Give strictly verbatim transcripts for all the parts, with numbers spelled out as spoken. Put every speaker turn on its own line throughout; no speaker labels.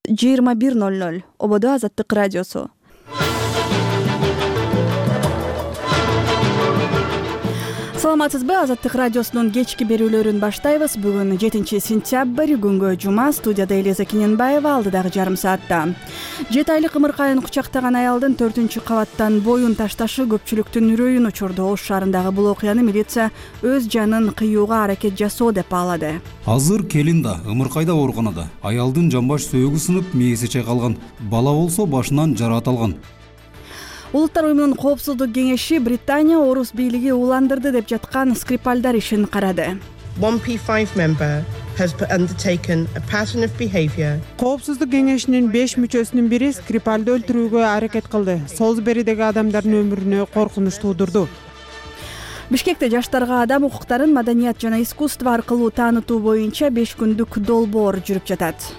жыйырма бир ноль ноль Ободо Азаттык радиосу. Саламатсызбы? Азаттык радиосунун кечки берүүлөрүн баштайбыз. Бүгүн жетинчи сентябрь, күнгө жума. Студияда Элиза Кененбаева, алдыдагы жарым саатта. жети айлык ымыркайын кучактаган аялдын төртүнчү кабаттан боюн ташташы көпчүлүктүн үрөйүн учурду. Ош шаарындагы бул окуяны милиция өз жанын кыюуга аракет жасоо деп баалады.
Азыр келин да, ымыркайда ооруканада. Аялдын жамбаш сөөгү сынып, мээси чайкалган. Бала болсо башынан жараат алган.
Улуттар уюмунун коопсуздук кеңеши Британия орус бийлиги уландырды деп жаткан Скрипальдар ишин карады.
one P five member has undertaken a pattern of behavior.
Коопсуздук кеңешинин беш мүчөсүнүн бири Скрипальды өлтүрүүгө аракет кылды. Солсберидеги адамдардын өмүрүнө коркунуч туудурду.
Бишкекте жаштарга адам укуктарын маданият жана искусство аркылуу таанытуу боюнча беш күндүк долбоор жүрүп жатат.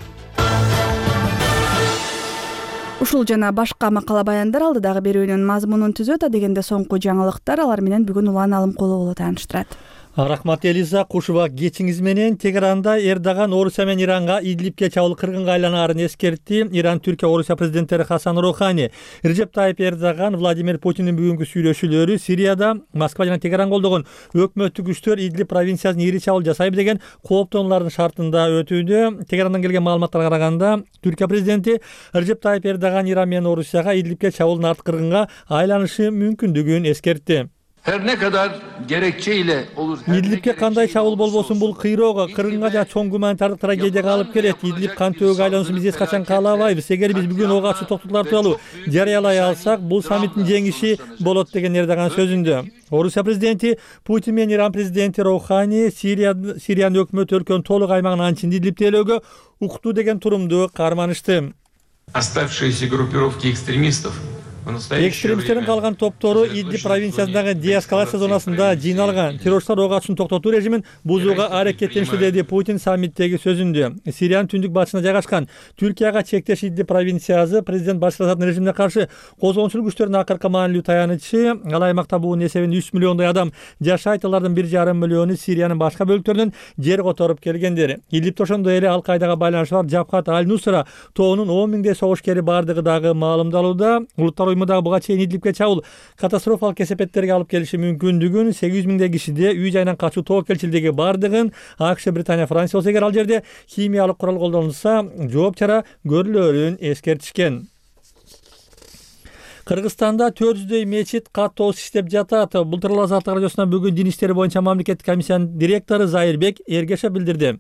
Ушул жана башка макала баяндар алдыдагы берүүнүн мазмунун түзөт. Адегенде соңку жаңылыктар, алар менен бүгүн Улан Алымкулова тааныштырат.
Рахмат Элиза, кушуба кечиңиз менен. Тегеранда Эрдоган Орусия менен Иранга Идлибке чабуул кыргынга айланаарын эскертти. Иран, Түркия, Орусия президенттери Хасан Рухани, Режеп Тайип Эрдоган, Владимир Путиндин бүгүнкү сүйлөшүүлөрү Сирияда Москва жана Тегеран колдогон өкмөттүк күчтөр Идлиб провинциясына ири чабуул жасайбы деген кооптонуулардын шартында өтүүдө. Тегерандан келген маалыматтарга караганда, Түркия президенти Режеп Тайип Эрдоган Иран менен Орусияга Идлибке чабуулдун арт кыргынга айланышы мүмкүндүгүн эскертти.
Her ne kadar gerekçeyle olur.
Идлибке кандай чабуул болбосун бул кыйроого, кыргынга жана чоң гуманитардык трагедияга алып келет. Идлиб кан төөгө айлануусун биз эч качан каалабайбыз. Эгер биз бүгүн ого ачуу токтотуулар тууралуу жарыялай алсак, бул саммиттин жеңиши болот деген Эрдоган сөзүндө. Орусия президенти Путин менен Иран президенти Рухани Сириянын өкмөт өлкөнүн толук аймагын анчын Идлибтелөөгө уктуу деген турумду карманышты.
Оставшиеся группировки экстремистов.
Экстремисттердин калган топтору Идлиб провинциясындагы деэскалация зонасында жыйналган. Террористтер ого ачуун токтотуу режимин бузууга аракеттеништи, деди Путин саммиттеги сөзүндө. Сириянын түндүк батышына жайгашкан Түркияга чектеш Идлиб провинциясы президент Башар Асаддын режимине каршы козгоончулук күчтөрүнүн акыркы маанилүү таянычы. Ал аймакта буунун эсебинде үч миллиондой адам жашайт. Алардын бир жарым миллиону Сириянын башка бөлүктөрүнөн жер которуп келгендер. Идлибте ошондой эле Ал-Каидага байланышы бар Жабхат Аль-Нусра тоонун он миңдей согушкери бардыгы дагы маалымдалууда. Улуттар уюму дагы буга чейин Идлибке чабуул катастрофалык кесепеттерге алып келиши мүмкүндүгүн, сегиз жүз миңдей кишиде үй жайынан качуу тобокелчилдиги бардыгын, АКШ, Британия, Франция болсо эгер ал жерде химиялык курал колдонулса, жооп чара көрүлөрүн эскертишкен. Кыргызстанда төрт жүздөй мечит каттоосуз иштеп жатат. Былтыр Азаттык радиосуна бүгүн дин иштери боюнча мамлекеттик комиссиянын директору Зайырбек Эргешев билдирди.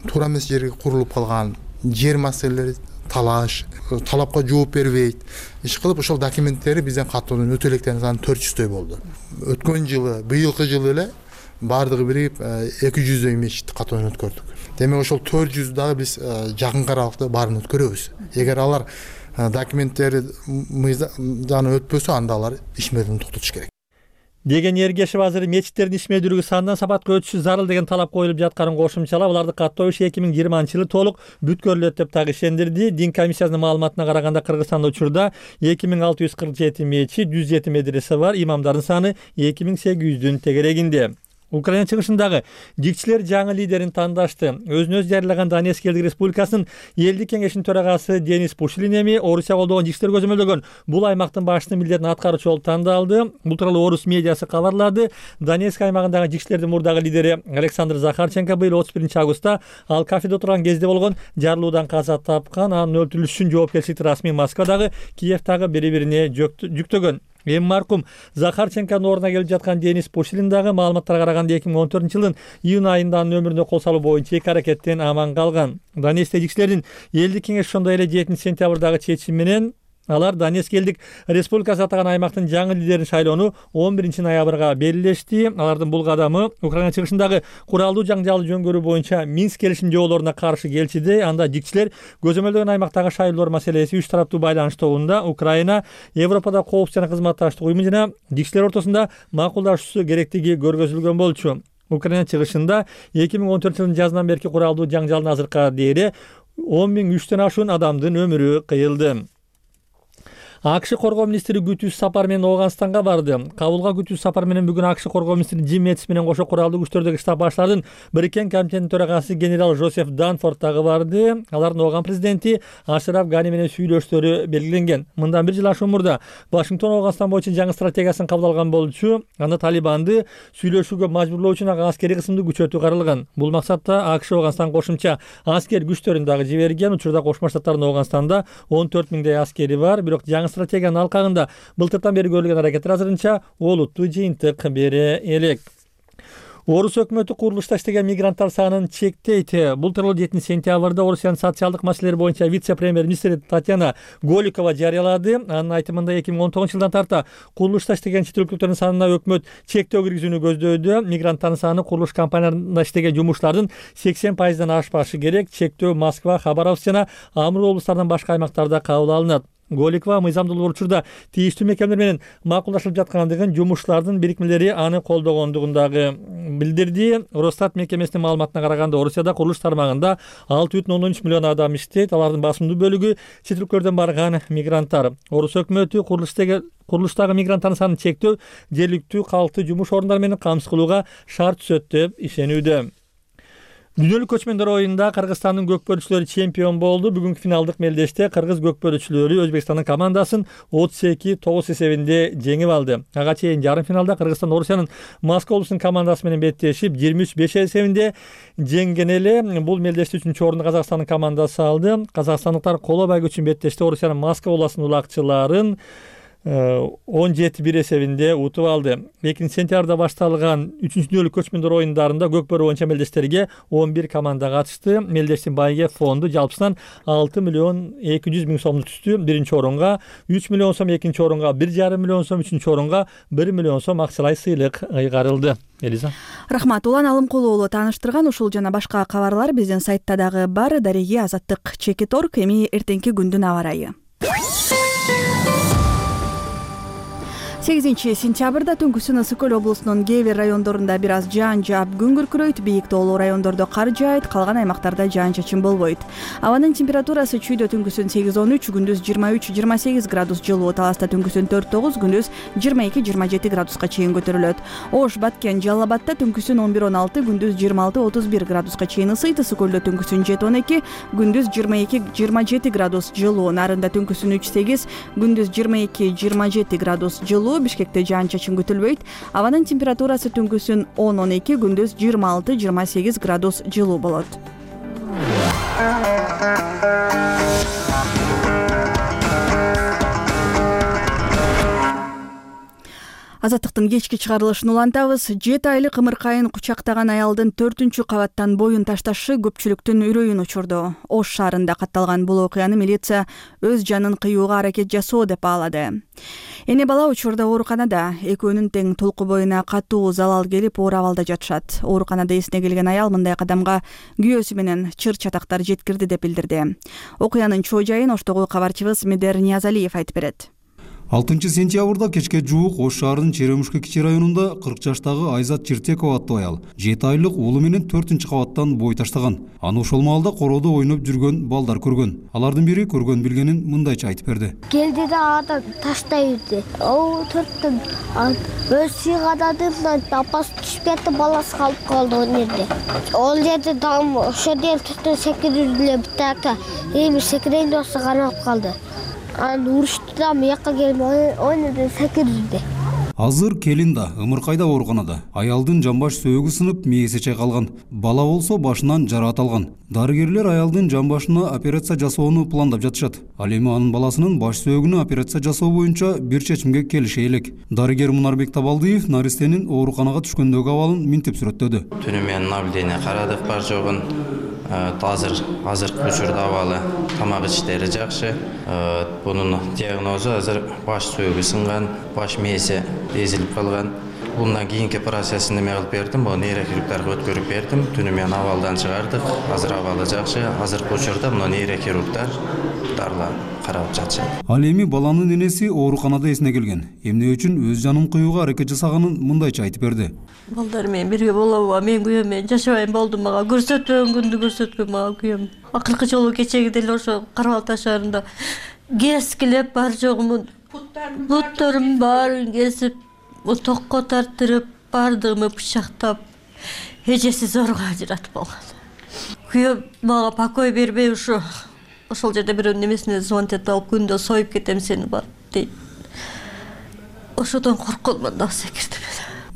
Туура эмес жерге курулуп калган жер маселелери, талаш, талапка жооп бербейт. Иш кылып ошол документтери бизден каттоодон өтө электерин саны төрт жүздөй болду. Өткөн жылы, быйылкы жылы эле бардыгы бирип эки жүздөй мечит каттоодон өткөрдүк. Демек ошол төрт жүз дагы биз жакын аралыкта баарын өткөрөбүз. Эгер алар документтери мыйзамдан өтпөсө, анда алар ишмердин токтотуш керек.
Деген Эргешев азыр мечиттердин ишмердүүлүгү сандан сапатка өтүшү зарыл деген талап коюлуп жатканын кошумчалап, аларды каттоо иши эки миң жыйырманчы жылы толук бүткөрүлөт деп дагы ишендирди. Дин комиссиясынын маалыматына караганда, Кыргызстанда учурда эки миң алты жүз кырк жети мечит, жүз жети медресе бар. Имамдардын саны эки миң сегиз жүздүн тегерегинде. Украина чыгышындагы дикчилер жаңы лидерин тандашты. Өзүн өзү жарыялаган Донецк элдик республикасынын элдик кеңешинин төрагасы Денис Пушилин эми Орусия колдогон дикчилер көзөмөлдөгөн бул аймактын башчынын милдетин аткаруучу болуп тандалды. Бул тууралуу орус медиасы кабарлады. Донецк аймагындагы дикчилердин мурдагы лидери Александр Захарченко быйыл отуз биринчи августта ал кафеде отурган кезде болгон жарылуудан каза тапкан. Анын өлтүрүлүшү үчүн жоопкерчиликти расмий Москвадагы, Киевдагы бири-бирине жүктөгөн. Эми маркум Захарченконун ордуна келип жаткан Денис Пушилин дагы маалыматтарга караганда эки миң он төртүнчү жылдын июнь айында анын өмүрүнө кол салуу боюнча эки аракеттен аман калган. Донецкте дикчилердин элдик кеңеш ошондой эле жетинчи сентябрдагы чечими менен алар Донецк элдик республикасы атаган аймактын жаңы лидерин шайлоону он биринчи ноябрга белгилешти. Алардын бул кадамы Украина чыгышындагы куралдуу жаңжалды жөнгөрүү боюнча Минск келишим жоболоруна каршы келчиде. Анда дикчилер көзөмөлдөгөн аймактагы шайлоолор маселеси үч тараптуу байланыштугунда Украина Европада коопсуз жана кызматташтык уюму жана дикчилер ортосунда макулдашуусу керектиги көргөзүлгөн болчу. Украина чыгышында эки миң он төртүнчү жылдын жазынан берки куралдуу жаңжалдын азыркыга дейри он миң үчтөн ашуун адамдын өмүрү кыйылды. АКШ коргоо министри күтүүсүз сапар менен Ооганстанга барды. Кабулга күтүүсүз сапар менен бүгүн АКШ коргоо министри Джим Мэтис менен кошо куралдуу күчтөрдөгү штаб баштарынын Бириккен комитетинин төрагасы генерал Жозеф Данфорд дагы барды. Алардын Ооган президенти Ашраф Гани менен сүйлөшүштөрү белгиленген. Мындан бир жыл ашуун мурда Вашингтон Ооганстан боюнча жаңы стратегиясын кабыл алган болчу. Анда Талибанды сүйлөшүүгө мажбурлоо үчүн ага аскерий кысымды күчөтүү каралган. Бул максатта АКШ Ооганстан кошумча аскер күчтөрүн дагы жиберген. Учурда Кошмо Штаттардын Ооганстанда он төрт миңдей аскери бар. Бирок жаңы стратегиянын алкагында былтыртан бери көрүлгөн аракеттер азырынча олуттуу жыйынтык бере элек. Орус өкмөтү курулушта иштеген мигранттар санын чектейт. Бул тууралуу жетинчи сентябрда Орусиянын социалдык маселелер боюнча вице-премьер-министри Татьяна Голикова жарыялады. Анын айтымында эки миң он тогузунчу жылдан тарта курулушта иштеген чет өлкөлүктөрдүн санына өкмөт чектөө киргизүүнү көздөдү. Мигранттардын саны курулуш компанияларында иштеген жумушчулардын сексен пайыздан ашпашы керек. Чектөө Москва, Хабаровск жана Амур облустарынан башка аймактарда кабыл алынат. Голикова мыйзамдуулук учурда тийиштүү мекемелер менен макулдашылып жаткандыгын, жумушчулардын бирикмелери аны колдогондугун дагы билдирди. Росстат мекемесинин маалыматына караганда, Орусияда курулуш тармагында алты бүтүн ондон үч миллион адам иштейт. Алардын басымдуу бөлүгү чет өлкөлөрдөн барган мигранттар. Орус өкмөтү курулуштагы курулуштагы мигранттардын санын чектөө, жергиликтүү калкты жумуш орундары менен камсыз кылууга шарт түзөт деп ишенүүдө. Дүйнөлүк көчмөндөр оюнунда Кыргызстандын көкпөрүчүлөрү чемпион болду. Бүгүнкү финалдык мелдеште кыргыз көкпөрүчүлөрү Өзбекстандын командасын отуз эки тогуз эсебинде жеңип алды. Ага чейин жарым финалда Кыргызстан Орусиянын Москва облусунун командасы менен беттешип жыйырма үч беш эсебинде жеңген эле. Бул мелдеште үчүнчү орунду Казакстандын командасы алды. Казакстандыктар коло байгө үчүн беттеште Орусиянын Москва обласынын улакчыларын он жети бир эсебинде утуп алды. экинчи сентябрда башталган үчүнчү дүйнөлүк көчмөндөр оюндарында көкпөр боюнча мелдештерге он бир команда катышты. Мелдештин байге фонду жалпысынан алты миллион эки жүз миң сомду түздү. Биринчи орунга үч миллион сом, экинчи орунга бир жарым миллион сом, үчүнчү орунга бир миллион сом акчалай сыйлык ыйгарылды. Элиза.
Рахмат. Улан Алымкулуу уулу тааныштырган ушул жана башка кабарлар биздин сайтта дагы бар. Дареги Азаттык Чекит орг. Эми эртеңки күндүн аба ырайы. сегизинчи сентябрда түнкүсүн Ысык Көл облусунун кээ бир райондорунда бир аз жаан жаап күн күркүрөйт. Бийик тоолуу райондордо кар жаайт, калган аймактарда жаан-чачын болбойт. Абанын температурасы чүйдө түнкүсүн сегиз он үч, күндүз жыйырма үч жыйырма сегиз градус жылуу, Таласта түнкүсүн төрт тогуз, күндүз жыйырма эки жыйырма жети градуска чейин көтөрүлөт. Ош, Баткен, Жалал Абадта түнкүсүн он бир он алты, күндүз жыйырма алты отуз бир градуска чейин ысыйт. Ысык Көлдө түнкүсүн жети он эки, күндүз жыйырма эки жыйырма жети градус жылуу, Нарында түнкүсүн үч сегиз, күндүз жыйырма эки жыйырма жети градус жылуу. Бишкекте жаан-чачын күтүлбөйт. Абанын температурасы түнкүсүн он он эки, күндүз жыйырма алты жыйырма сегиз градус жылуу болот. Азаттыктын кечки чыгарылышын улантабыз. жети айлык ымыркайын кучактаган аялдын төртүнчү кабаттан боюн ташташы көпчүлүктүн үрөйүн учурду. Ош шаарында катталган бул окуяны милиция өз жанын кыюуга аракет жасоо деп баалады. Эне бала учурда ооруканада, экөөнүн тең толку боюна катуу залал келип оор абалда жатышат. Ооруканада эсине келген аял мындай кадамга күйөөсү менен чыр чатактар жеткирди деп билдирди. Окуянын чоо жайын Оштогу кабарчыбыз Медер Ниязалиев айтып берет.
алтынчы сентябрда кечке жуук Ош шаарынын Черемушка кичи районунда кырк жаштагы Айзат Чиртекова аттуу аял жети айлык уулу менен төртүнчү кабаттан бой таштаган. Аны ошол маалда короодо ойноп жүргөн балдар көргөн. Алардын бири көргөн билгенин мындайча айтып берди.
Келди да ада таштай берди. О, төрттөн өз сыйгададым, апасы түшүп кетти, баласы калып калды ал жерде. Ол жерде дам ошо дел түтүн секирип эле бутакта. Эми секирейин болсо канап калды. Аны урушту да мыякка келип ойноду секирди.
Азыр келин да ымыркайда ооруканада. Аялдын жамбаш сөөгү сынып, мээси чайкалган. Бала болсо башынан жараат алган. Дарыгерлер аялдын жамбашына операция жасоону пландап жатышат. Ал эми анын баласынын баш сөөгүнө операция жасоо боюнча бир чечимге келише элек. Дарыгер Мунарбек Табалдиев наристенин ооруканага түшкөндөгү абалын минтип сүрөттөдү.
Түнү менен наблюдение карадык, бар жогун. Азыр азыркы учурда абалы, тамак ичтери жакшы. Бунун диагнозу азыр баш сөөгү сынган, баш мээси эзилип калган. Bundan keyinki prosesini neме кылып бердим, бу нейрохирургдарга өткөрүп бердим. Түнү менен абалдан чыгардык. Азыр абалы жакшы. Азыркы учурда мына нейрохирургдар дарлар карап жатышат.
Ал эми баланын энеси ооруканада эсине келген. Эмне үчүн өз жанын кыюуга аракет жасаганын мындайча айтып берди.
Балдар менен бирге болобу, мен күйөөм менен жашабайм болдум, мага көрсөтпөгөн күндү көрсөткөн мага күйөөм. Акыркы жолу кечеги деле ошо Карабал таш шаарында кескилеп бар жогумун буттарымдын баарын кесип, токко тартырып, бардыгымы бычактап, эжеси зорго ажыратып алган. Күйөөм мага покой бербей ушу ошол жерде бирөөнүн немесине звонтет алып, күндө союп кетем сени бар дейт. Ошодон коркконуман дагы секирдим.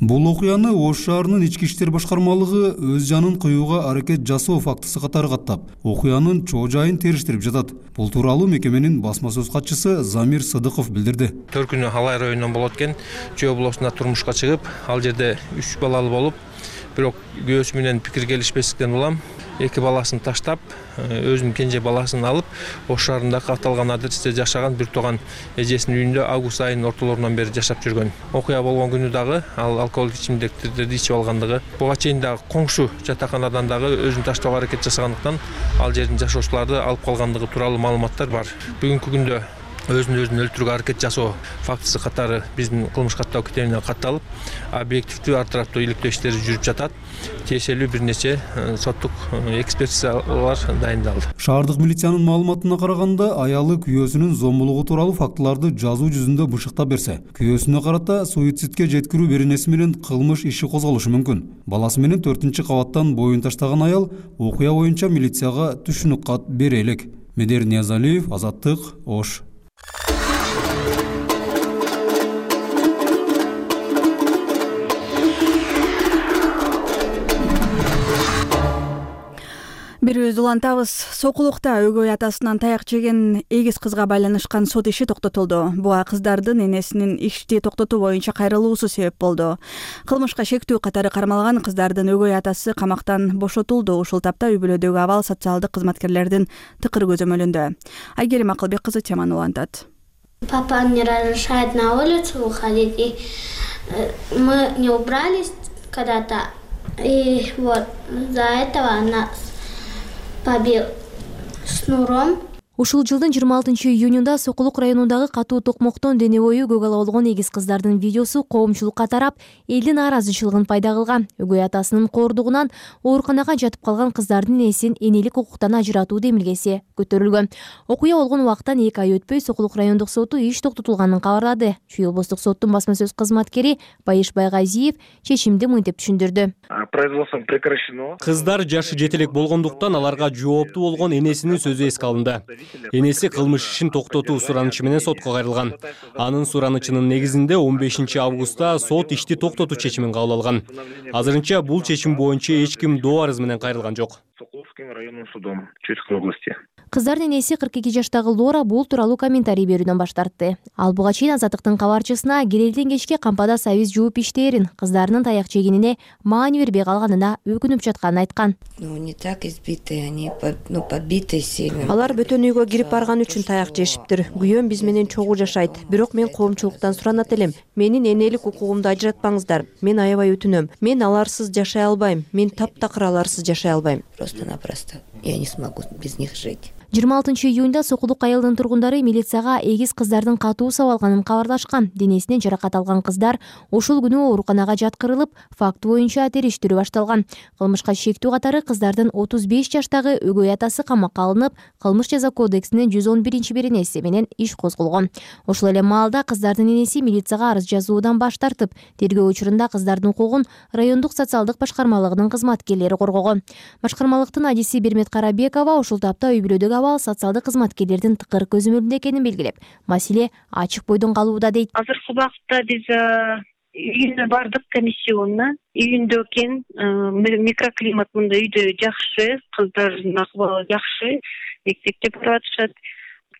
Бул окуяны Ош шаарынын ички иштер башкармалыгы өз жанын кыюуга аракет жасоо фактысы катары каттап, окуянын чоо жайын териштирип жатат. Бул тууралуу мекеменин басма сөз катчысы Замир Сыдыков билдирди.
Төркүнү Алай районунан болот экен, Чөө болосуна турмушка чыгып, ал жерде үч балалы болуп, бирок күйөөсү менен пикир келишпестиктен улам эки баласын таштап, өзүнүн кенже баласын алып, Ош шаарындагы аталган адресте жашаган бир тууган эжесинин үйүндө август айынын ортолорунан бери жашап жүргөн. Окуя болгон күнү дагы ал алкоголдук ичимдиктерди ичип алгандыгы, буга чейин дагы коңшу жатаканадан дагы өзүн таштоого аракет жасагандыктан ал жердин жашоочуларды алып калгандыгы тууралуу маалыматтар бар. Бүгүнкү күндө өзүн өзүн өлтүрүүгө аракет жасоо фактысы катары биздин кылмыш каттоо китебинен катталып, объективдүү ар тараптуу иликтөө иштери жүрүп жатат. Тиешелүү бир нече соттук экспертизалар дайындалды.
Шаардык милициянын маалыматына караганда, аялы күйөөсүнүн зомбулугу тууралуу фактыларды жазуу жүзүндө бышыктап берсе, күйөөсүнө карата суицидке жеткирүү беренеси менен кылмыш иши козголушу мүмкүн. Баласы менен төртүнчү кабаттан боюн таштаган аял окуя боюнча милицияга түшүнүк кат бере элек. Медер Ниязалиев, Азаттык, Ош.
Бирибиз улантабыз. Сокулукта өгөй атасынан таяк жеген эгиз кызга байланышкан сот иши токтотулду. Буга кыздардын энесинин ишти токтотуу боюнча кайрылуусу себеп болду. Кылмышка шектүү катары кармалган кыздардын өгөй атасы камактан бошотулду. Ушул тапта үй бүлөдөгү абал социалдык кызматкерлердин тыкыр көзөмөлүндө. Айгерим Акылбек кызы теманы улантат.
Папа не разрешает на улицу выходить, и мы не убрались когда-то, и вот за этого нас побил шнуром.
Ушул жылдын жыйырма алтынчы июнунда Сокулук районундагы катуу токмоктон дене бою көк ала болгон эгиз кыздардын видеосу коомчулукка тарап, элдин нааразычылыгын пайда кылган. Өгөй атасынын коордугунан ооруканага жатып калган кыздардын энесин энелик укуктан ажыратуу демилгеси көтөрүлгөн. Окуя болгон убакыттан эки ай өтпөй Сокулук райондук соту иш токтотулганын кабарлады. Чүй облустук соттун басма сөз кызматкери Байыш Байгазиев чечимди мынтип түшүндүрдү.
Кыздар жашы жетелек болгондуктан аларга жооптуу болгон энесинин сөзү эске алынды. Энеси кылмыш ишин токтотуу суранычы менен сотко кайрылган. Анын суранычынын негизинде он бешинчи августта сот ишти токтотуу чечимин кабыл алган. Азырынча бул чечим боюнча эч ким доо арыз менен кайрылган жок.
Районным судом Чуйской области.
Кыздардын энеси кырк эки жаштагы Лора бул тууралуу комментарий берүүдөн баш тартты. Ал буга чейин Азаттыктын кабарчысына келелден кечке кампада сабиз жууп иштерин, кыздарынын таяк жегенине маани бербей калганына өкүнүп жатканын айткан.
Ну не так избитые, они ну побитые сильно.
Алар бөтөн үйгө кирип барган үчүн таяк жешиптир. Күйөөм биз менен чогуу жашайт. Бирок мен коомчулуктан суранат элем. Менин энелик укугумду ажыратпаңыздар. Мен аябай өтүнөм. Мен аларсыз жашай албайм. Мен таптакыр аларсыз жашай албайм.
Просто-напросто я не смогу без них жить.
жыйырма алтынчы июнда Сокулук айылдын тургундары милицияга эгиз кыздардын катуу сабалганын кабарлашкан. Денесинен жаракат алган кыздар ошол күнү ооруканага жаткырылып, факт боюнча териштирүү башталган. Кылмышка шектүү катары кыздардын отуз беш жаштагы өгөй атасы камакка алынып, кылмыш жаза кодексинин жүз он биринчи беренеси менен иш козголгон. Ошол эле маалда кыздардын энеси милицияга арыз жазуудан баш тартып, тергөө учурунда кыздардын укугун райондук социалдык башкармалыгынын кызматкерлери коргогон. Башкармалыктын адиси Бермет Карабекова ошол тапта үй бүлөдөгү социалдык кызматкерлердин тыкыр көзөмөлүндө экенин белгилеп, маселе ачык бойдон калууда дейт.
Азыркы убакытта биз үйүнө бардык комиссионно. Үйүндө экен, микроклимат мында үйдө жакшы, кыздардын акыбалы жакшы, мектепте баратышат.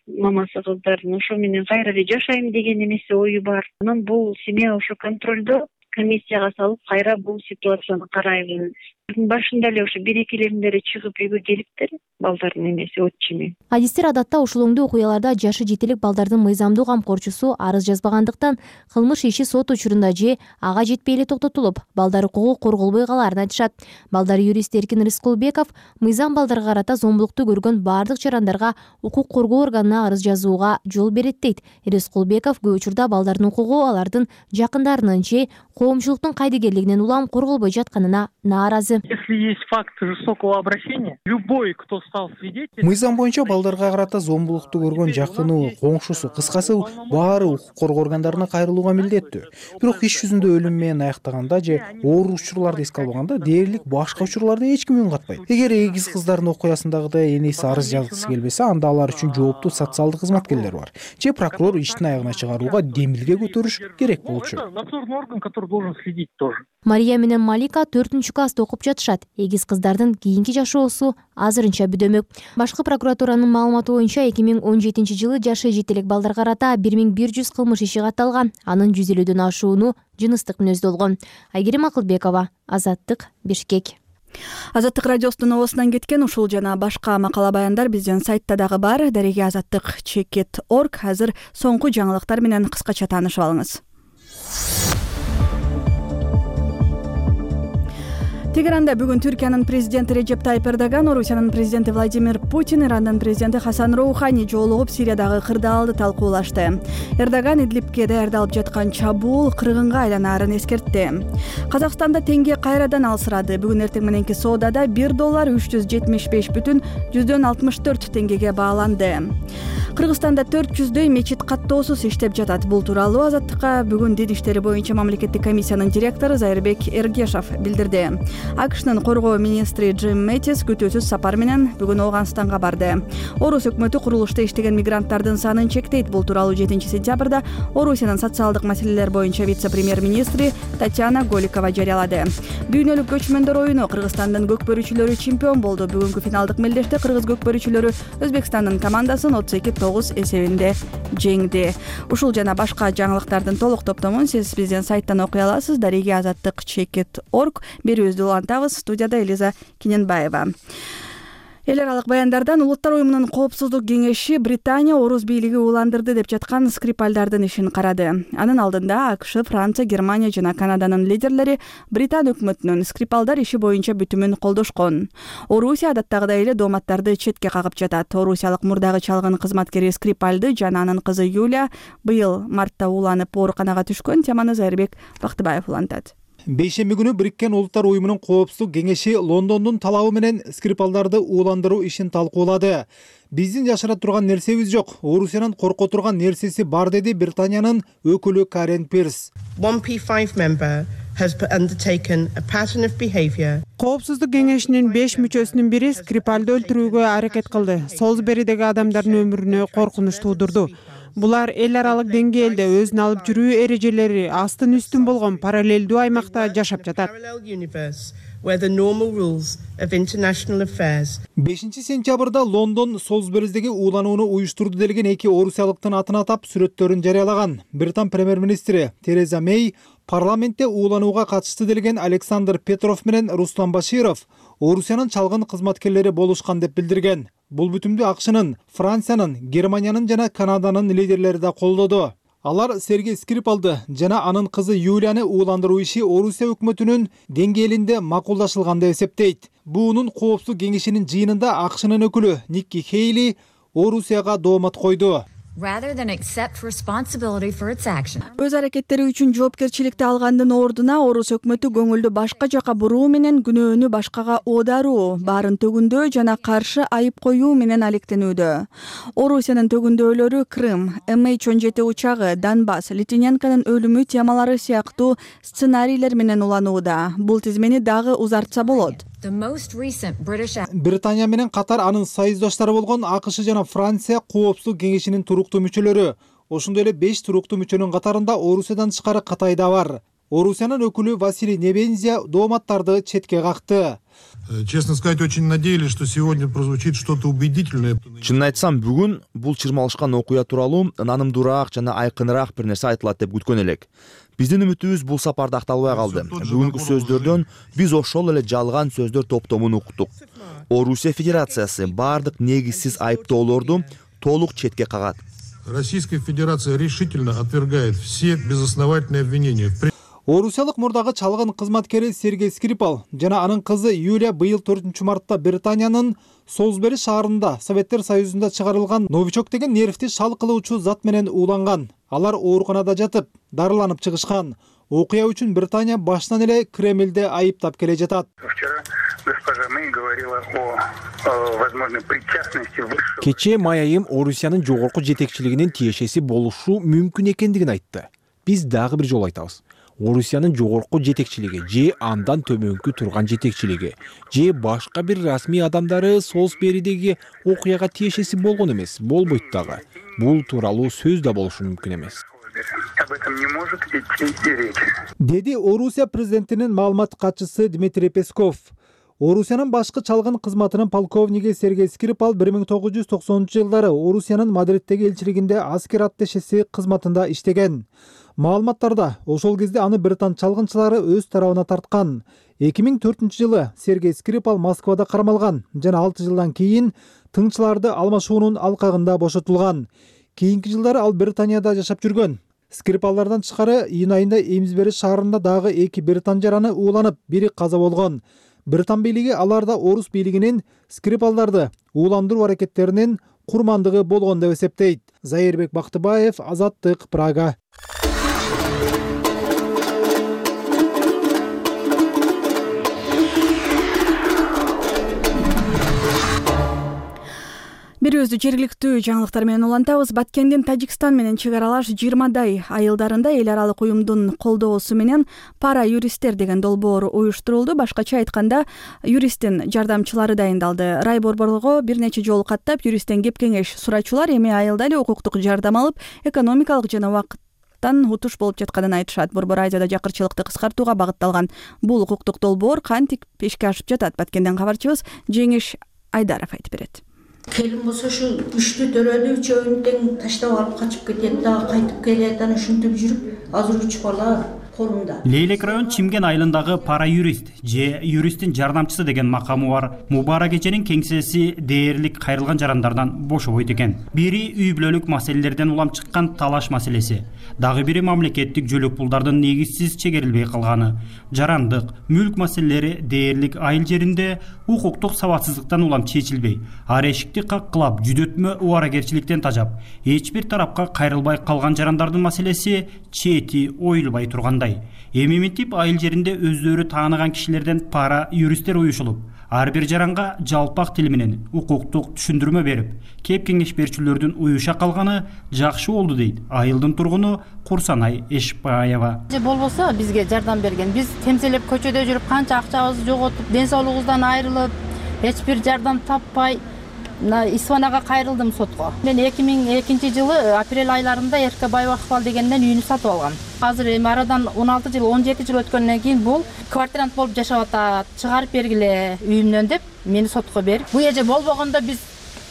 Мамасы кыздардын ошо менен кайра эле жашайм деген эмеси ою бар. Анан бул семья ошо контролдо, комиссияга салып, кайра бул ситуацияны карайлы. Башында эле ошо берекелеринде чыгып үйгө келиптир, балдардын эмеси отчими.
Адистер адатта ушулоңдуу окуяларда жашы жетелек балдардын мыйзамдуу камкорчусу арыз жазбагандыктан кылмыш иши сот учурунда же ага жетпей эле токтотулуп, балдар укугу корголбой калаарын айтышат. Балдар юрист Эркин Рыскулбеков мыйзам балдарга карата зомбулукту көргөн бардык жарандарга укук коргоо органына арыз жазууга жол берет дейт. Рыскулбеков көп учурда балдардын укугу алардын жакындарынын же коомчулуктун кайдыгерлигинен улам корголбой жатканына нааразы. жетекчиси.
Если есть факт жестокого обращения, любой, кто стал свидетелем...
Мыйзам боюнча балдарга карата зомбулукту көргөн жакыны, коңшусу, кыскасы баары укук коргоо органдарына кайрылууга милдеттүү. Бирок иш жүзүндө өлүм менен аяктаганда же оор учурларды эске албаганда дээрлик башка учурларды эч ким үн катпайт. Эгер эгиз кыздардын окуясындагыдай энеси арыз жазгысы келбесе, анда алар үчүн жооптуу социалдык кызматкерлер бар. Же прокурор иштин аягына чыгарууга демилге көтөрүш керек болчу.
Надзорный орган, который должен следить тоже.
Мария менен Малика төртүнчү класста окуп жатышат. Эгиз кыздардын кийинки жашоосу азырынча бүдөмөк. Башкы прокуратуранын маалыматы боюнча эки миң он жетинчи жылы жашы жети элек балдарга карата бир миң бир жүз кылмыш иши катталган. Анын жүз элүүдөн ашууну жыныстык мүнөздүү болгон. Айгерим Акылбекова, Азаттык, Бишкек.
Азаттык радиосунун оосунан кеткен ушул жана башка макала баяндар биздин сайтта дагы бар. Дареги азаттык чекит точка орг. Азыр соңку жаңылыктар менен кыскача таанышып алыңыз. Тегеранда бүгүн Түркиянын президенти Режеп Тайип Эрдоган, Орусиянын президенти Владимир Путин, Ирандын президенти Хасан Роухани жолугуп Сириядагы кырдаалды талкуулашты. Эрдоган Идлибке даярдалып жаткан чабуул кыргынга айланаарын эскертти. Казакстанда теңге кайрадан алсырады. Бүгүн эртең мененки соодада бир доллар үч жүз жетимиш беш бүтүн жүздөн алтымыш төрт теңгеге бааланды. Кыргызстанда төрт жүздөй мечит каттоосуз иштеп жатат. Бул тууралуу Азаттыкка бүгүн Дин иштери боюнча мамлекеттик комиссиянын директору Зайырбек Эргешов билдирди. АКШнын коргоо министри Джим Мэттис күтүүсүз сапар менен бүгүн Ооганстанга барды. Орус өкмөтү курулушта иштеген мигранттардын санын чектейт. Бул тууралуу жетинчи сентябрда Орусиянын социалдык маселелер боюнча вице-премьер-министри Татьяна Голикова жарыялады. Дүйнөлүк көчмөндөр оюну Кыргызстандын көкбөрүчүлөрү чемпион болду. Бүгүнкү финалдык мелдеште кыргыз көкбөрүчүлөрү Өзбекстандын командасын отуз эки тогуз эсебинде жеңди. Ушул жана башка жаңылыктардын толук топтомун сиз биздин сайттан окуй аласыз. Дареги азаттык чекит точка орг. Берүүбүздү улантабыз. Студияда Элиза Киненбаева. Эл аралык баяндардан Улуттар уюмунун коопсуздук кеңеши Британия орус бийлиги ууландырды деп жаткан Скрипальдардын ишин карады. Анын алдында АКШ, Франция, Германия жана Канаданын лидерлери Британ өкмөтүнүн Скрипалдар иши боюнча бүтүмүн колдошкон. Орусия адаттагыдай эле дооматтарды четке кагып жатат. Орусиялык мурдагы чалгын кызматкери Скрипальды жана анын кызы Юлия быйыл мартта ууланып ооруканага түшкөн. Теманы Зайырбек Бактыбаев улантат.
Бейшемби күнү Бириккен Улуттар уюмунун коопсуздук кеңеши Лондондун талабы менен Скрипалдарды ууландыруу ишин талкуулады. Биздин жашыра турган нерсебиз жок, Орусиянын корко турган нерсеси бар, деди Британиянын өкүлү Карен Пирс.
one P five member has undertaken a pattern of behavior.
Коопсуздук кеңешинин беш мүчөсүнүн бири Скрипалды өлтүрүүгө аракет кылды. Солсберидеги адамдардын өмүрүнө коркунуч туудурду. Булар эл аралык деңгээлде өзүн алып жүрүү эрежелери астын үстүн болгон параллелдүү аймакта жашап жатат.
бешинчи сентябрда Лондон Солсберидеги ууланууну уюштурду делген эки орусиялыктын атын атап сүрөттөрүн жарыялаган. Британ премьер-министри Тереза Мэй парламентте ууланууга катышты делген Александр Петров менен Руслан Баширов Орусиянын чалгын кызматкерлери болушкан деп билдирген. Бул бүтүмдү АКШнын, Франциянын, Германиянын жана Канаданын лидерлери да колдоду. Алар Сергей Скрипалды жана анын кызы Юлияны ууландыруу иши Орусия өкмөтүнүн деңгээлинде макулдашылган деп эсептейт. Буунун коопсуздук кеңешинин жыйынында АКШнын өкүлү Никки Хейли Орусияга доомат койду.
Өз аракеттери үчүн жоопкерчиликти алгандын ордуна Орус өкмөтү көңүлдү башка жака буруу менен күнөөнү башкага оодаруу, баарын төгүндөө жана каршы айып коюу менен алектенүүдө. Орусиянын төгүндөөлөрү Крым, эм эйч он жети учагы, Донбасс, Литвиненконун өлүмү темалары сыяктуу сценарийлер менен уланууда. Бул тизмени дагы узартса болот.
Британия менен катар анын союздаштары болгон АКШ жана Франция коопсуздук кеңешинин туруктуу мүчөлөрү. Ошондой эле беш туруктуу мүчөнүн катарында Орусиядан тышкары Кытай да бар. Орусиянын өкүлү Василий Небензия дооматтарды четке какты.
Честно сказать, очень надеялись, что сегодня прозвучит что-то убедительное.
Чынын айтсам, бүгүн бул чырмалышкан окуя тууралуу нанымдуураак жана айкыныраак бир нерсе айтылат деп күткөн элек. Биздин үмүтүбүз бул сапарда акталбай калды. Бүгүнкү сөздөрдөн биз ошол эле жалган сөздөр топтомун уктук. Орусия Федерациясы бардык негизсиз айыптоолорду толук четке кагат.
Российская Федерация решительно отвергает все безосновательные обвинения.
Орусиялык мурдагы чалгын кызматкери Сергей Скрипал жана анын кызы Юлия быйыл төртүнчү мартта Британиянын Солсбери шаарында Советтер Союзунда чыгарылган новичок деген нервти шал кылуучу зат менен ууланган. Алар ооруканада жатып, дарыланып чыгышкан. окуя үчүн Британия башынан эле Кремлди айыптап келе жатат.
Кечээ Май айым Орусиянын жогорку жетекчилигинин тиешеси болушу мүмкүн экендигин айтты. Биз дагы бир жолу айтабыз. Орусиянын жогорку жетекчилиги же андан төмөнкү турган жетекчилиги же башка бир расмий адамдары Солсберидеги окуяга тиешеси болгон эмес, болбойт дагы. Бул тууралуу сөз да болушу мүмкүн эмес.
Об этом не может идти и речь.
Деди Орусия президентинин маалымат катчысы Дмитрий Песков. Орусиянын башкы чалгын кызматынын полковниги Сергей Скрипал бир миң тогуз жүз токсонунчу жылдары Орусиянын Мадриттеги элчилигинде аскер атташеси кызматында иштеген. Маалыматтарда ошол кезде аны британ чалгынчылары өз тарабына тарткан. эки миң төртүнчү жылы Сергей Скрипал Москвада кармалган жана алты жылдан кийин тыңчыларды алмашуунун алкагында бошотулган. Кийинки жылдары ал Британияда жашап жүргөн. Скрипалдардан тышкары июнь айында Эймсбери шаарында дагы эки британ жараны ууланып, бири каза болгон. Британ бийлиги аларда орус бийлигинин Скрипалдарды ууландыруу аракеттеринин курмандыгы болгон деп эсептейт. Заирбек Бактыбаев, Азаттык, Прага.
Бир өзү жергиликтүү жаңылыктар менен улантабыз. Баткендин Тажикстан менен чек аралаш жыйырмадай айылдарында эл аралык уюмдун колдоосу менен пара юристтер деген долбоор уюштурулду. Башкача айтканда, юристтин жардамчылары дайындалды. Рай борборго бир нече жолу каттап, юристтен кеп-кеңеш сурачулар эми айылда эле укуктук жардам алып, экономикалык жана убакыт утуш болуп жатканын айтышат. Борбор Азияда жакырчылыкты кыскартууга багытталган бул укуктук долбоор кантип ишке ашып жатат? Баткенден кабарчыбыз Жеңиш Айдаров айтып берет.
Келин болсо ушу үчтү төрөдү, үчөөнү тең таштап алып качып кетет, дагы кайтып келет, анан ушинтип жүрүп, азыр үч бала колунда.
Лейлек район Чимген айылындагы пара юрист же юристтин жардамчысы деген макамы бар Мубара кеченин кеңсеси дээрлик кайрылган жарандардан бошобойт экен. Бири үй бүлөлүк маселелерден улам чыккан талаш маселеси, дагы бири мамлекеттик жөлөк пулдардын негизсиз чегерилбей калганы. Жарандык, мүлк маселелери дээрлик айыл жеринде укуктук сабатсыздыктан улам чечилбей, ар эшикти каккылап, жүдөтмө убаракерчиликтен тажап, эч бир тарапка кайрылбай калган жарандардын маселеси чети оюлбай тургандай. Эми мынтип айыл жеринде өздөрү тааныган кишилерден пара юристтер уюшулуп, ар бир жаранга жалпак тил менен укуктук түшүндүрмө берип, кеп-кеңеш берүүчүлөрдүн уюша калганы жакшы болду дейт айылдын тургуну Курсанай Эшпаева.
Же болбосо бизге жардам берген. Биз темселеп көчөдө жүрүп, канча акчабызды жоготуп, ден соолугубуздан айрылып, эч бир жардам таппай Исванага кайрылдым сотко. Мен эки миң экинчи жылы апрель айларында Эрке Байбакпал дегенден үйүнү сатып алгам. Азыр эми арадан он алты жыл, он жети жыл өткөндөн кийин бул квартирант болуп жашап атат, чыгарып бергиле үйүмдөн деп мени сотко берип, бул эже болбогондо биз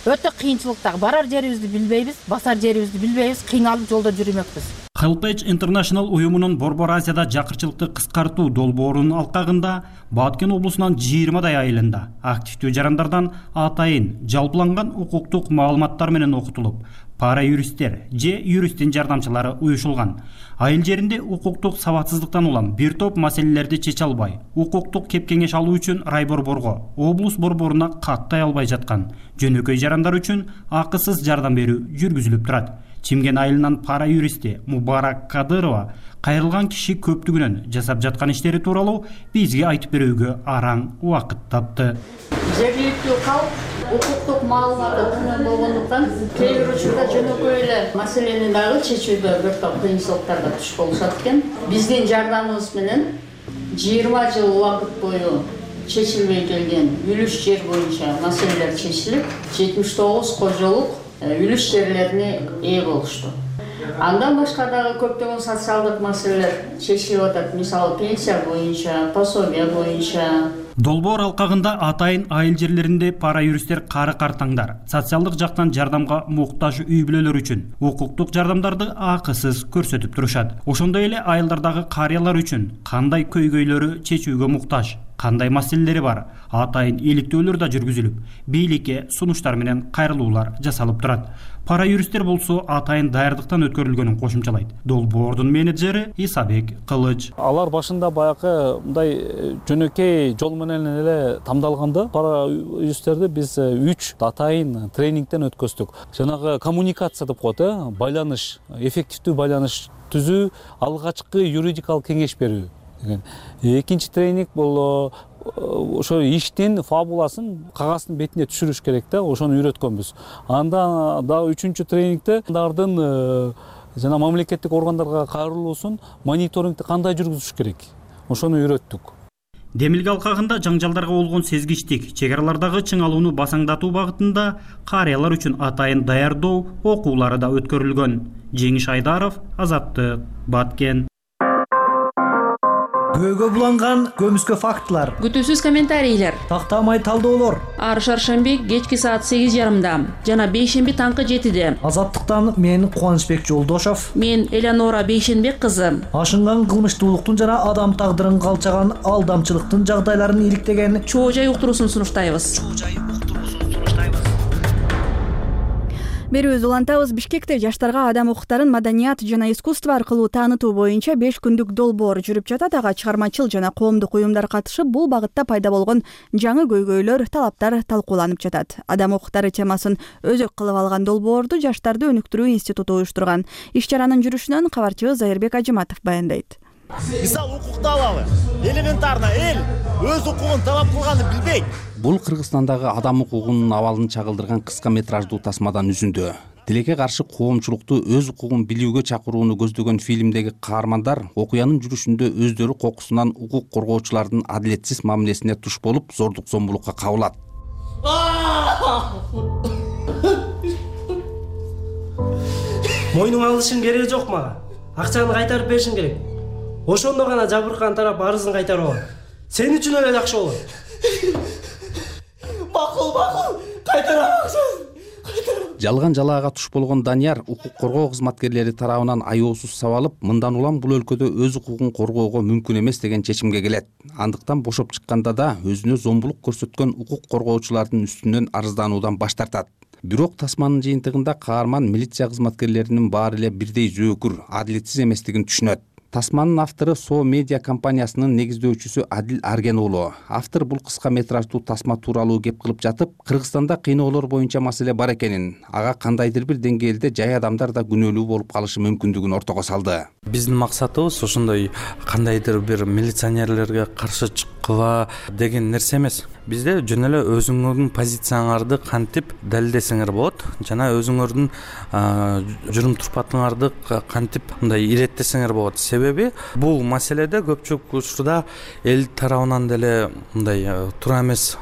өтө кыйынчылыкта, барар жерибизди билбейбиз, басар жерибизди билбейбиз, кыйналып жолдо жүрмөкпүз.
Helpage International уюмунун Борбор Азияда жакырчылыкты кыскартуу долбоорунун алкагында Баткен облусунун жыйырмадай айылында активдүү жарандардан атайын жалпыланган укуктук маалыматтар менен окутулуп, пара юристтер же юристтин жардамчылары уюшулган. Айыл жеринде укуктук сабатсыздыктан улам бир топ маселелерди чече албай, укуктук кеп-кеңеш алуу үчүн рай борборго, облус борборуна каттай албай жаткан жөнөкөй жарандар үчүн акысыз жардам берүү жүргүзүлүп турат. Чимген айылынан пара юристи Мубарак Кадырова кайрылган киши көптүгүнөн жасап жаткан иштери тууралуу бизге айтып берүүгө араң убакыт тапты.
Жергиликтүү калк укуктук маалыматы төмөн болгондуктан кээ бир учурда жөнөкөй эле маселени дагы чечүүдө бир топ кыйынчылыктарга туш болушат экен. Биздин жардамыбыз менен жыйырма жыл убакыт бою чечилбей келген үлүш жер боюнча маселелер чечилип, жетимиш тогуз кожолук үлүш жерлерине ээ болушту. Андан башка дагы көптөгөн социалдык маселелер чечилип атат. Мисалы, пенсия боюнча, пособие боюнча.
Долбоор алкагында атайын айыл жерлеринде пара юристтер кары картаңдар, социалдык жактан жардамга муктаж үй бүлөлөр үчүн укуктук жардамдарды акысыз көрсөтүп турушат. Ошондой эле айылдардагы карыялар үчүн кандай көйгөйлөрү чечүүгө муктаж, кандай маселелери бар, атайын иликтөөлөр да жүргүзүлүп, бийликке сунуштар менен кайрылуулар жасалып турат. Пара юристтер болсо атайын даярдыктан өткөрүлгөнүн кошумчалайт. Долбоордун менеджери Исабек Кылыч.
Алар башында баягы мындай жөнөкөй жол менен эле тамдалганда пара юристтерди биз үч атайын тренингден өткөздүк. Жанагы коммуникация деп коет, э, байланыш, эффективдүү байланыш түзүү, алгачкы юридикалык кеңеш берүү деген. Экинчи тренинг бул ошо иштин фабуласын кагаздын бетине түшүрүш керек да, ошону үйрөткөнбүз. Анда дагы үчүнчү тренингде алардын жана мамлекеттик органдарга кайрылуусун мониторингди кандай жүргүзүш керек, ошону үйрөттүк.
Демилге алкагында жаңжалдарга болгон сезгичтик, чек аралардагы чыңалууну басаңдатуу багытында карыялар үчүн атайын даярдоо окуулары да өткөрүлгөн. Жеңиш Айдаров, Азаттык, Баткен.
Күбөгө буланган көмүскө фактылар,
күтүүсүз комментарийлер,
тактамай талдоолор.
Ар шаршемби кечки саат сегиз жарымда жана бейшемби таңкы жетиде.
Азаттыктан мен Кубанычбек Жолдошов,
мен Элеонора Бейшенбек кызы.
Ашынган кылмыштуулуктун жана адам тагдырын калчаган алдамчылыктын жагдайларын иликтеген
чоо жай уктуруусун сунуштайбыз.
Берүүбүз улантабыз. Бишкекте жаштарга адам укуктарын маданият жана искусство аркылуу таанытуу боюнча беш күндүк долбоор жүрүп жатат. Ага чыгармачыл жана коомдук уюмдар катышып, бул багытта пайда болгон жаңы көйгөйлөр, талаптар талкууланып жатат. Адам укуктары темасын өзөк кылып алган долбоорду Жаштарды өнүктүрүү институту уюштурган. Иш чаранын жүрүшүнөн кабарчыбыз Айырбек Ажыматов баяндайт.
Мисалы, укукту алалы. Элементарно эл өз укугун талап кылганды билбейт.
Бул Кыргызстандагы адам укугунун абалын чагылдырган кыска метраждуу тасмадан үзүндү. Тилекке каршы коомчулукту өз укугун билүүгө чакырууну көздөгөн фильмдеги каармандар окуянын жүрүшүндө өздөрү кокусунан укук коргоочулардын адилетсиз мамилесине туш болуп, зордук зомбулукка кабылат.
Мойнуң алышың кереги жок мага. Акчаны кайтарып беришиң керек. Ошондо гана жабыркан тарап арызын кайтарып алат. Сен үчүн эле жакшы болот.
Макул, макул, кайтарамаксыз.
Жалган жалаага туш болгон Данияр укук коргоо кызматкерлери тарабынан аяосуз сабалып, мындан улам бул өлкөдө өз укугун коргоого мүмкүн эмес деген чечимге келет. Андыктан бошоп чыкканда да өзүнө зомбулук көрсөткөн укук коргоочулардын үстүнөн арыздануудан баш тартат. Бирок тасманын жыйынтыгында каарман милиция кызматкерлеринин баары эле бирдей зөөкүр, адилетсиз эместигин түшүнөт. Тасманын автору Со медиа компаниясынын негиздөөчүсү Адил Арген уулу. Автор бул кыска метраждуу тасма тууралуу кеп кылып жатып, Кыргызстанда кыйноолор боюнча маселе бар экенин, ага кандайдыр бир деңгээлде жай адамдар да күнөөлүү болуп калышы мүмкүндүгүн ортого салды.
Биздин максатыбыз ошондой кандайдыр бир милиционерлерге каршы чыккыла деген нерсе эмес. Бизде жөн эле өзүңөрдүн позицияңарды кантип далилдесеңер болот жана өзүңөрдүн журум турпатыңарды кантип мындай иреттесеңер болот. Себеби бул маселеде көпчүлүк учурда эл тарабынан деле мындай туура эмес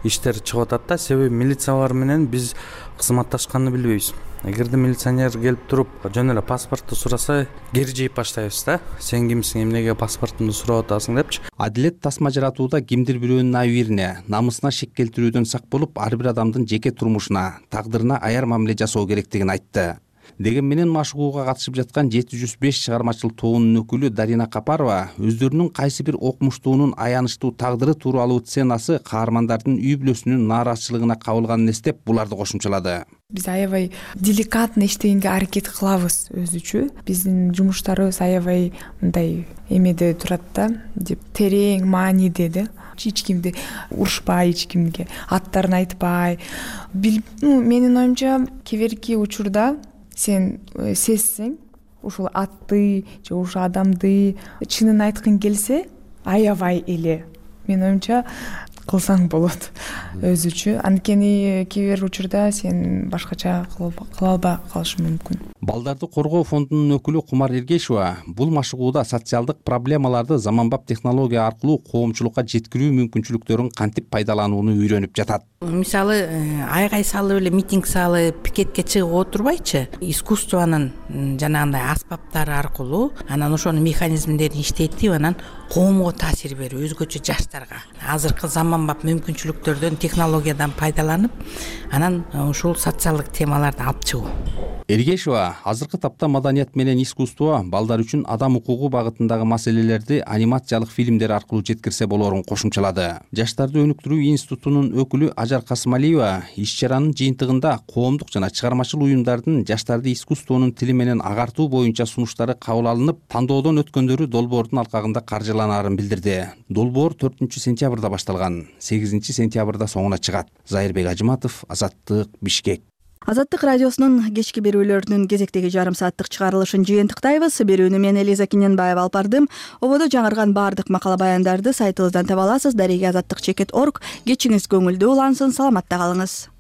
иштер чыгып атат да. Себеби милициялар менен биз кызматташканды билбейбиз. Эгерде милиционер келип туруп жөн эле паспорту сураса, кери жейип баштайбыз да. Сен кимсиң, эмнеге паспортумду сурап атасың депчи.
Адилет тасма жаратууда кимдир бирөөнүн абийирине, намысына шек келтирүүдөн сак болуп, ар бир адамдын жеке турмушуна, тагдырына аяр мамиле жасоо керектигин айтты. Деген менен машыгууга катышып жаткан жети жүз беш чыгармачыл тобунун өкүлү Дарина Капарова өздөрүнүн кайсы бир окумуштуунун аянычтуу тагдыры тууралуу сценасы каармандардын үй бүлөсүнүн нааразычылыгына кабылганын эстеп, буларды кошумчалады.
Биз аябай деликатно иштегенге аракет кылабыз өзүчө. Биздин жумуштарыбыз аябай мындай эмеде турат да, деп терең мааниде да. Эч кимди урушпай, эч кимге аттарын айтпай. Ну, менин оюмча, кеберки учурда сен сезсең, ушул атты же ушул адамды чынын айткың келсе, аябай эле, менин оюмча, кылсаң болот өзүчө. Анткени кээ бир учурда сен башкача кыла албай калышың мүмкүн.
Балдарды коргоо фондунун өкүлү Кумар Эргешова бул машыгууда социалдык проблемаларды заманбап технология аркылуу коомчулукка жеткирүү мүмкүнчүлүктөрүн кантип пайдаланууну үйрөнүп жатат.
Мисалы, айгай салып эле митинг салып, пикетке чыгып отурбайчы, искусствонун жанагындай аспаптары аркылуу анан ошонун механизмдерин иштетип, анан коомго таасир берүү, өзгөчө жаштарга. Азыркы заман заманбап мүмкүнчүлүктөрдөн, технологиядан пайдаланып, анан ушул социалдык темаларды алып чыгуу.
Эргешова азыркы тапта маданият менен искусство балдар үчүн адам укугу багытындагы маселелерди анимациялык фильмдер аркылуу жеткирсе болоорун кошумчалады. Жаштарды өнүктүрүү институтунун өкүлү Ажар Касымалиева иш чаранын жыйынтыгында коомдук жана чыгармачыл уюмдардын жаштарды искусствонун тили менен агартуу боюнча сунуштары кабыл алынып, тандоодон өткөндөрү долбоордун алкагында каржыланаарын билдирди. Долбоор төртүнчү сентябрда башталган, сегизинчи сентябрда соңуна чыгат. Зайырбек Ажыматов, Азаттык, Бишкек.
Азаттык радиосунун кечки берүүлөрүнүн кезектеги жарым сааттык чыгарылышын жыйынтыктайбыз. Берүүнү мен Элиза Киненбаева алып бардым. Ободо жаңырган баардык макала баяндарды сайтыбыздан таба аласыз. Дареги азаттык чекит точка орг. Кечиңиз көңүлдүү улансын, саламатта калыңыз.